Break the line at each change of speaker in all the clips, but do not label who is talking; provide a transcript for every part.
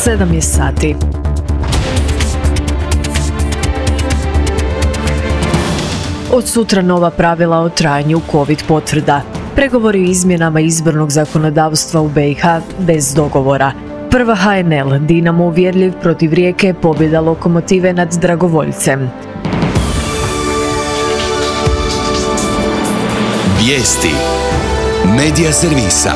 7 je sati. Od sutra nova pravila o trajanju COVID potvrda. Pregovori o izmjenama izbornog zakonodavstva u BiH bez dogovora. Prva HNL, Dinamo uvjerljiv protiv Rijeke, pobjeda Lokomotive nad Dragovoljcem.
Vijesti Medija servisa.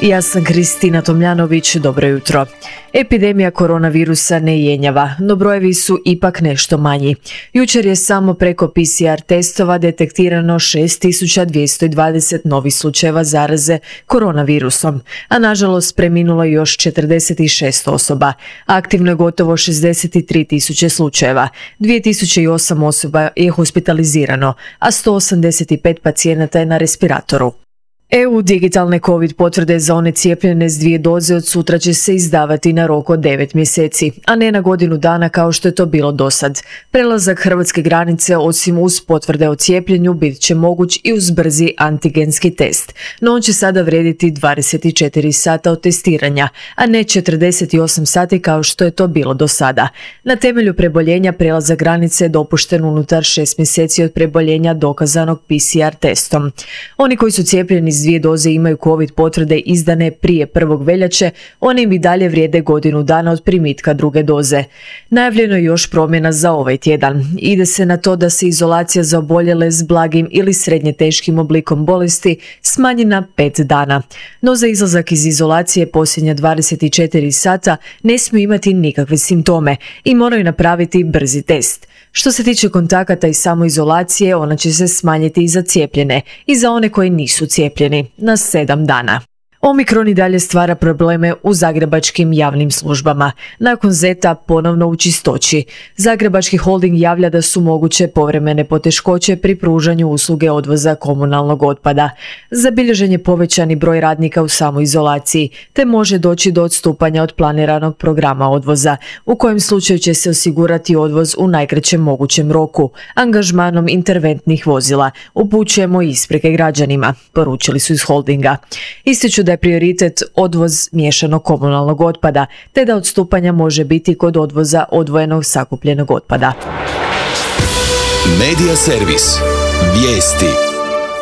Ja sam Kristina Tomljanović, dobro jutro. Epidemija koronavirusa ne jenjava, no brojevi su ipak nešto manji. Jučer je samo preko PCR testova detektirano 6220 novih slučajeva zaraze koronavirusom, a nažalost preminulo je još 46 osoba. Aktivno je gotovo 63.000 slučajeva, 2008 osoba je hospitalizirano, a 185 pacijenata je na respiratoru. EU digitalne COVID potvrde za one cijepljene s 2 doze od sutra će se izdavati na rok od 9 mjeseci, a ne na godinu dana kao što je to bilo dosad. Prelazak hrvatske granice osim uz potvrde o cijepljenju bit će moguć i uz brzi antigenski test, no on će sada vrijediti 24 sata od testiranja, a ne 48 sati kao što je to bilo do sada. Na temelju preboljenja prelazak granice je dopušten unutar 6 mjeseci od preboljenja dokazanog PCR testom. Oni koji su cijepljeni s 2 doze imaju COVID potvrde izdane prije 1. veljače, one im i dalje vrijede godinu dana od primitka 2. doze. Najavljeno je još promjena za ovaj tjedan. Ide se na to da se izolacija za oboljele s blagim ili srednje teškim oblikom bolesti smanji na 5 dana. No za izlazak iz izolacije posljednja 24 sata ne smiju imati nikakve simptome i moraju napraviti brzi test. Što se tiče kontakata i samoizolacije, ona će se smanjiti i za cijepljene i za one koji nisu cijepljeni na 7 dana. Omikron i dalje stvara probleme u zagrebačkim javnim službama. Nakon Zeta ponovno u čistoći. Zagrebački holding javlja da su moguće povremene poteškoće pri pružanju usluge odvoza komunalnog otpada. Zabilježen je povećani broj radnika u samoizolaciji, te može doći do odstupanja od planiranog programa odvoza, u kojem slučaju će se osigurati odvoz u najkraćem mogućem roku, angažmanom interventnih vozila. Upućujemo isprike građanima, poručili su iz holdinga. Ističu da je prioritet odvoz miješanog komunalnog otpada, te da odstupanja može biti kod odvoza odvojenog sakupljenog otpada.
Medija servis. Vijesti.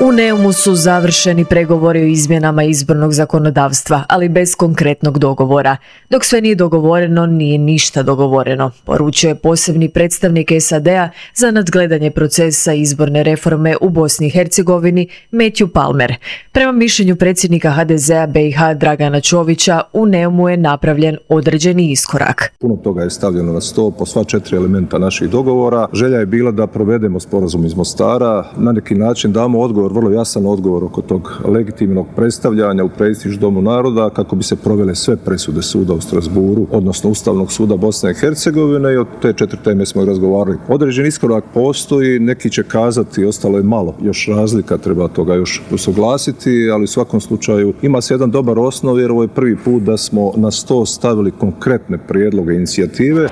U Neumu su završeni pregovori o izmjenama izbornog zakonodavstva, ali bez konkretnog dogovora. Dok sve nije dogovoreno, nije ništa dogovoreno, poručio je posebni predstavnik SAD-a za nadgledanje procesa izborne reforme u Bosni i Hercegovini, Matthew Palmer. Prema mišljenju predsjednika HDZ-a BiH Dragana Čovića, u Neumu je napravljen određeni iskorak.
Puno toga je stavljeno na sto po sva 4 elementa naših dogovora. Želja je bila da provedemo sporazum iz Mostara, na neki način damo odgovor, vrlo jasan odgovor oko tog legitimnog predstavljanja u prestiž Domu naroda kako bi se provele sve presude suda u Strasburu, odnosno Ustavnog suda Bosne i Hercegovine, i od te 4 teme smo razgovarali. Određen iskorak postoji, neki će kazati ostalo je malo, još razlika, treba toga još usuglasiti, ali u svakom slučaju ima se jedan dobar osnov jer ovo je prvi put da smo na sto stavili konkretne prijedloge inicijative.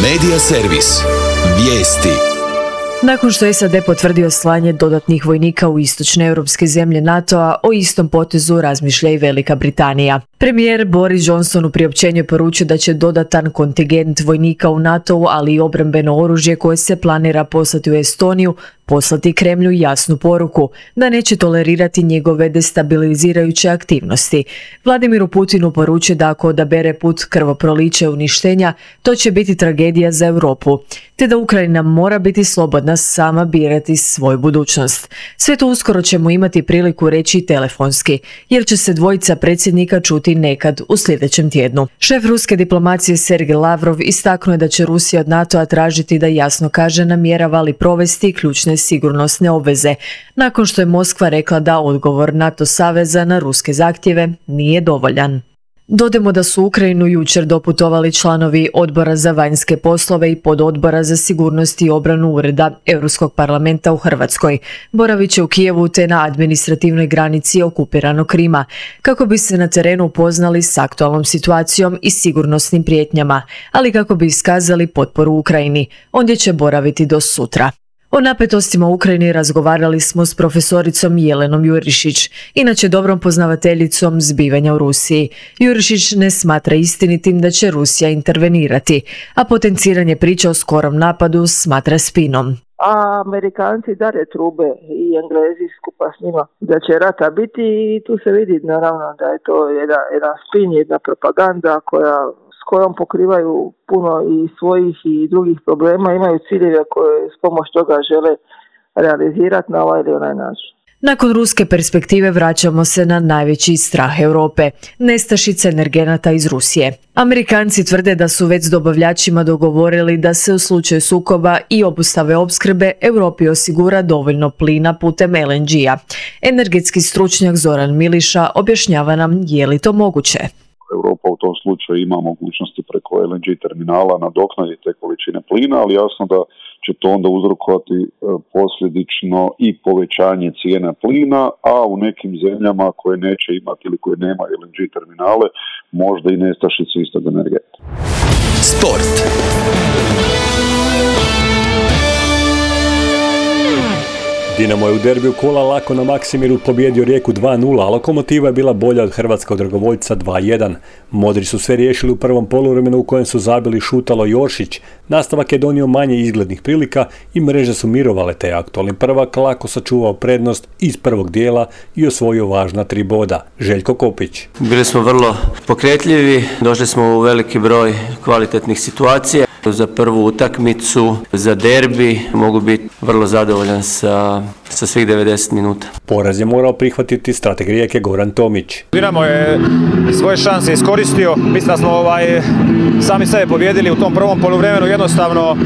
Medija servis. Vijesti.
Nakon što je SAD potvrdio slanje dodatnih vojnika u istočne europske zemlje NATO-a, o istom potezu razmišlja i Velika Britanija. Premijer Boris Johnson u priopćenju je poručio da će dodatan kontingent vojnika u NATO-u, ali i obrambeno oružje koje se planira poslati u Estoniju, poslati Kremlju jasnu poruku da neće tolerirati njegove destabilizirajuće aktivnosti. Vladimiru Putinu poručuje da ako odabere put krvoprolića i uništenja, to će biti tragedija za Europu, te da Ukrajina mora biti slobodna sama birati svoju budućnost. Sve to uskoro ćemo imati priliku reći telefonski, jer će se dvojica predsjednika čuti nekad u sljedećem tjednu. Šef ruske diplomacije Sergej Lavrov istaknuo je da će Rusija od NATO-a tražiti da jasno kaže namjerava li provesti ključne sigurnosne obveze, nakon što je Moskva rekla da odgovor NATO saveza na ruske zahtjeve nije dovoljan. Dodajmo da su u Ukrajinu jučer doputovali članovi Odbora za vanjske poslove i Pododbora za sigurnost i obranu Ureda Europskog parlamenta u Hrvatskoj. Boravit će u Kijevu te na administrativnoj granici okupiranog Krima, kako bi se na terenu upoznali s aktualnom situacijom i sigurnosnim prijetnjama, ali kako bi iskazali potporu Ukrajini. Ondje će boraviti do sutra. O napetostima u Ukrajini razgovarali smo s profesoricom Jelenom Jurišić, inače dobrom poznavateljicom zbivanja u Rusiji. Jurišić ne smatra istinitim da će Rusija intervenirati, a potenciranje priče o skorom napadu smatra spinom.
A Amerikanci dare trube i Englezi skupa s njima da će rata biti i tu se vidi naravno da je to jedan spin, jedna propaganda s kojom pokrivaju puno i svojih i drugih problema, imaju ciljeve koje s pomoć toga žele realizirati na ovaj ili onaj način.
Nakon ruske perspektive vraćamo se na najveći strah Europe, nestašica energenata iz Rusije. Amerikanci tvrde da su već s dobavljačima dogovorili da se u slučaju sukoba i obustave opskrbe Europi osigura dovoljno plina putem LNG-a. Energetski stručnjak Zoran Miliša objašnjava nam je li to moguće.
Europa u tom slučaju ima mogućnosti preko LNG terminala nadoknaditi te količine plina, ali jasno da će to onda uzrokovati posljedično i povećanje cijena plina, a u nekim zemljama koje neće imati ili koje nema LNG terminale, možda i nestašicu istog energenta.
Sport.
Dinamo je u derbiju kola lako na Maksimiru pobjedio Rijeku 2-0, a Lokomotiva je bila bolja od hrvatskog dragovoljca 2-1. Modri su sve riješili u prvom poluvremenu u kojem su zabili Šutalo i Oršić. Nastavak je donio manje izglednih prilika i mreže su mirovale, te aktualni prvak lako sačuvao prednost iz prvog dijela i osvojio važna 3 boda. Željko Kopić.
Bili smo vrlo pokretljivi, došli smo u veliki broj kvalitetnih situacija. Za prvu utakmicu, za derbi, mogu biti vrlo zadovoljan sa svih 90 minuta.
Poraz je morao prihvatiti strateg Rijeke Goran Tomić.
Dinamo je svoje šanse iskoristio. Mislim da smo sami sebe pobjedili u tom prvom poluvremenu. Jednostavno,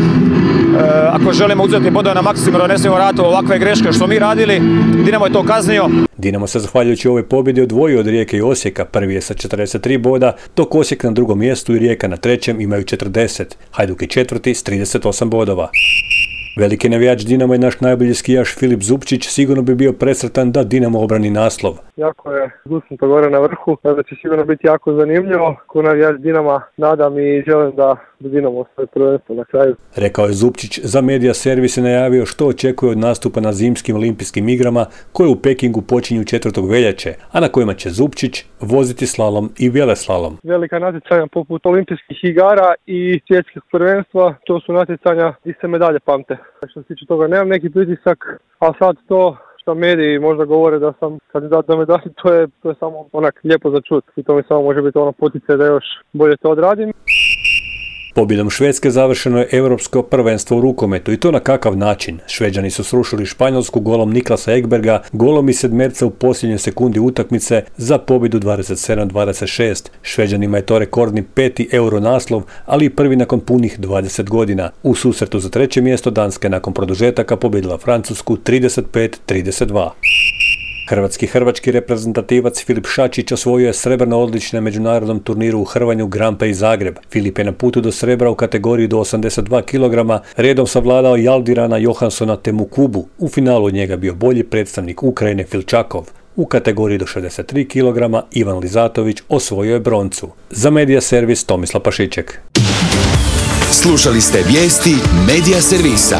ako želimo uzeti bodove na Maksimiru, ne smijemo raditi ovakve greške što smo mi radili. Dinamo je to kaznio.
Dinamo se zahvaljujući ovoj pobjedi odvojio od Rijeke i Osijeka. Prvi je sa 43 boda, dok Osijek na drugom mjestu i Rijeka na trećem imaju 40. Hajduk je četvrti s 38 bodova. Veliki navijač Dinamo je naš najbolji skijaš Filip Zupčić, sigurno bi bio presretan da Dinamo obrani naslov.
Jako je gusnuto gore na vrhu, da će sigurno biti jako zanimljivo. Ko navijač Dinama nadam i želim da Dinamo svoje prvenstvo na kraju.
Rekao je Zupčić. Za Medija Servis je najavio što očekuje od nastupa na zimskim olimpijskim igrama koje u Pekingu počinju 4. veljače, a na kojima će Zupčić voziti slalom i veleslalom.
Velika natjecanja poput olimpijskih igara i svjetskih prvenstva, to su natjecanja gdje se medalje pamte. Što se tiče toga nemam neki pritisak, a sad to što mediji možda govore da sam kandidat za medalju, to je samo onak lijepo za čut i to mi samo može biti ono poticaj da još bolje to odradim.
Pobjedom Švedske završeno je europsko prvenstvo u rukometu i to na kakav način. Šveđani su srušili Španjolsku golom Niklasa Ekberga, golom iz sedmerca u posljednjoj sekundi utakmice za pobjedu 27-26. Šveđanima je to rekordni 5. euro naslov, ali i prvi nakon punih 20 godina. U susretu za treće mjesto Danska je nakon produžetaka pobjedila Francusku 35-32. Hrvatski reprezentativac Filip Šačić osvojio je srebrno odličje na međunarodnom turniru u hrvanju Grand Prix Zagreb. Filip je na putu do srebra u kategoriji do 82 kg, redom savladao Jaldirana Johanssona te Mukubu. U finalu od njega bio bolji predstavnik Ukrajine Filčakov. U kategoriji do 63 kg Ivan Lizatović osvojio je broncu. Za Medija Servis Tomislav Pašiček.
Slušali ste vijesti Medija Servisa.